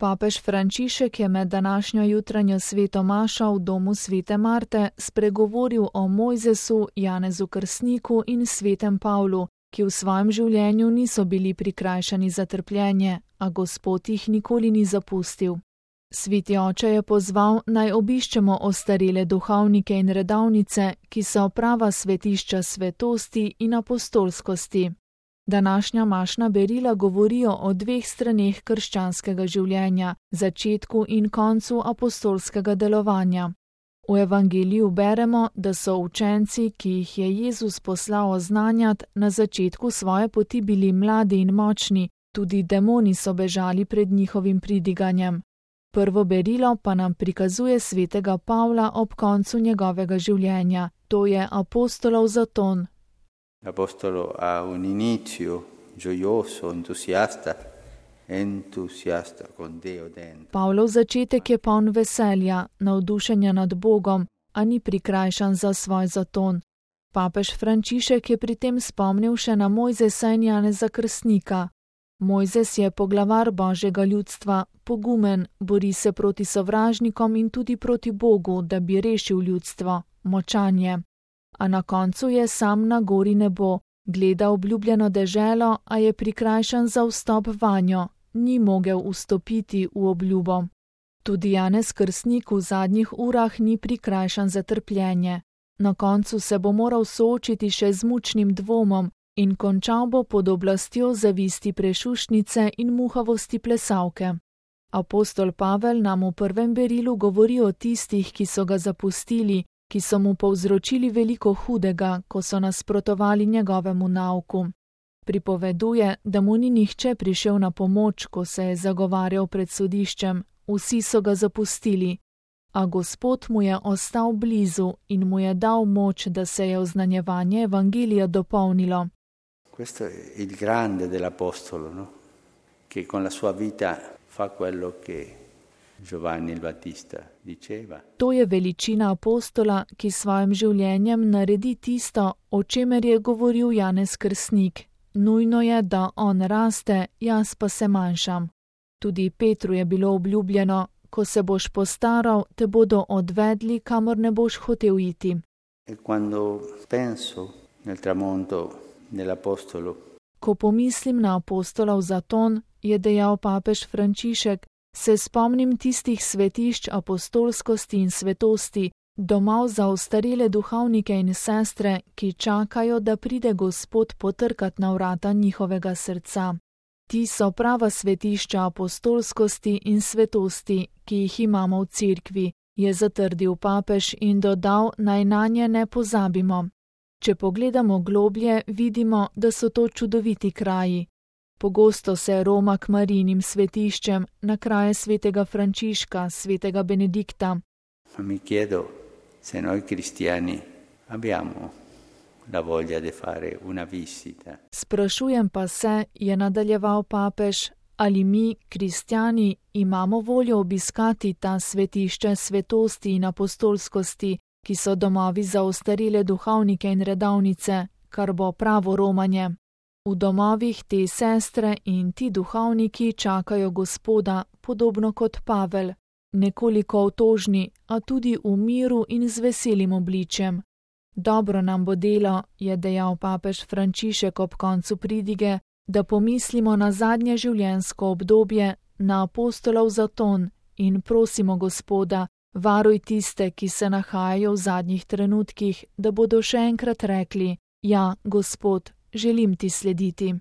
Papež Frančišek je med današnjo jutranjo sveto mašo v domu svete Marte spregovoril o Mojzesu, Janezu Krstniku in svetem Pavlu, ki v svojem življenju niso bili prikrajšani za trpljenje, a Gospod jih nikoli ni zapustil. Sveti oče je pozval, naj obiščemo ostarele duhovnike in redovnice, ki so prava svetišča svetosti in apostolskosti. Današnja mašna berila govorijo o dveh straneh krščanskega življenja, začetku in koncu apostolskega delovanja. V evangeliju beremo, da so učenci, ki jih je Jezus poslal oznanjati, na začetku svoje poti bili mladi in močni, tudi demoni so bežali pred njihovim pridiganjem. Prvo berilo pa nam prikazuje svetega Pavla ob koncu njegovega življenja, to je apostolov zaton. L'apostolo ha un inizio gioioso, entusiasta con Dio dentro. Pavlov začetek je poln veselja, navdušenja nad Bogom, a ni prikrajšan za svoj zaton. Papež Frančišek je pri tem spomnil še na Mojzesa in Janeza Krstnika. Mojzes je poglavar Božjega ljudstva, pogumen, bori se proti sovražnikom in tudi proti Bogu, da bi rešil ljudstvo, močan je. A na koncu je sam na gori nebo, gleda obljubljeno deželo, a je prikrajšan za vstop vanjo, ni mogel vstopiti v obljubo. Tudi Janez Krstnik v zadnjih urah ni prikrajšan za trpljenje. Na koncu se bo moral soočiti še z mučnim dvomom in končal bo pod oblastjo zavisti prešušnice in muhavosti plesavke. Apostol Pavel nam v prvem berilu govori o tistih, ki so ga zapustili, ki so mu povzročili veliko hudega, ko so nasprotovali njegovemu nauku. Pripoveduje, da mu ni nihče prišel na pomoč, ko se je zagovarjal pred sodiščem, vsi so ga zapustili, a Gospod mu je ostal blizu in mu je dal moč, da se je oznanjevanje evangelija dopolnilo. Questo è il grande dell'apostolo, no? Che con la sua vita fa quello che Giovanni il Battista diceva. To je veličina apostola, ki s svojim življenjem naredi tisto, o čemer je govoril Janez Krstnik. Nujno je, da on raste, jaz pa se manjšam. Tudi Petru je bilo obljubljeno, ko se boš postaral, te bodo odvedli, kamor ne boš hotel iti. E quando penso nel tramonto dell'apostolo. Ko pomislim na apostolov zaton, je dejal papež Frančišek, se spomnim tistih svetišč apostolskosti in svetosti, domov za ostarele duhovnike in sestre, ki čakajo, da pride Gospod potrkat na vrata njihovega srca. Ti so prava svetišča apostolskosti in svetosti, ki jih imamo v cerkvi, je zatrdil papež in dodal, naj nanje ne pozabimo. Če pogledamo globlje, vidimo, da so to čudoviti kraji. Pogosto se Roma k Marijinim svetiščem, na kraje svetega Frančiška, svetega Benedikta. Ma mi chiedo se noi cristiani abbiamo la voglia di fare una visita. Sprašujem pa se, je nadaljeval papež, ali mi, kristjani, imamo voljo obiskati ta svetišče svetosti in apostolskosti, ki so domovi za ostarele duhovnike in redovnice, kar bo pravo romanje. V domovih te sestre in ti duhovniki čakajo Gospoda, podobno kot Pavel, nekoliko otožni, a tudi v miru in z veselim obličjem. Dobro nam bo delo, je dejal papež Frančišek ob koncu pridige, da pomislimo na zadnje življenjsko obdobje, na apostolov zaton in prosimo Gospoda, varuj tiste, ki se nahajajo v zadnjih trenutkih, da bodo še enkrat rekli, ja, Gospod, želim ti slediti.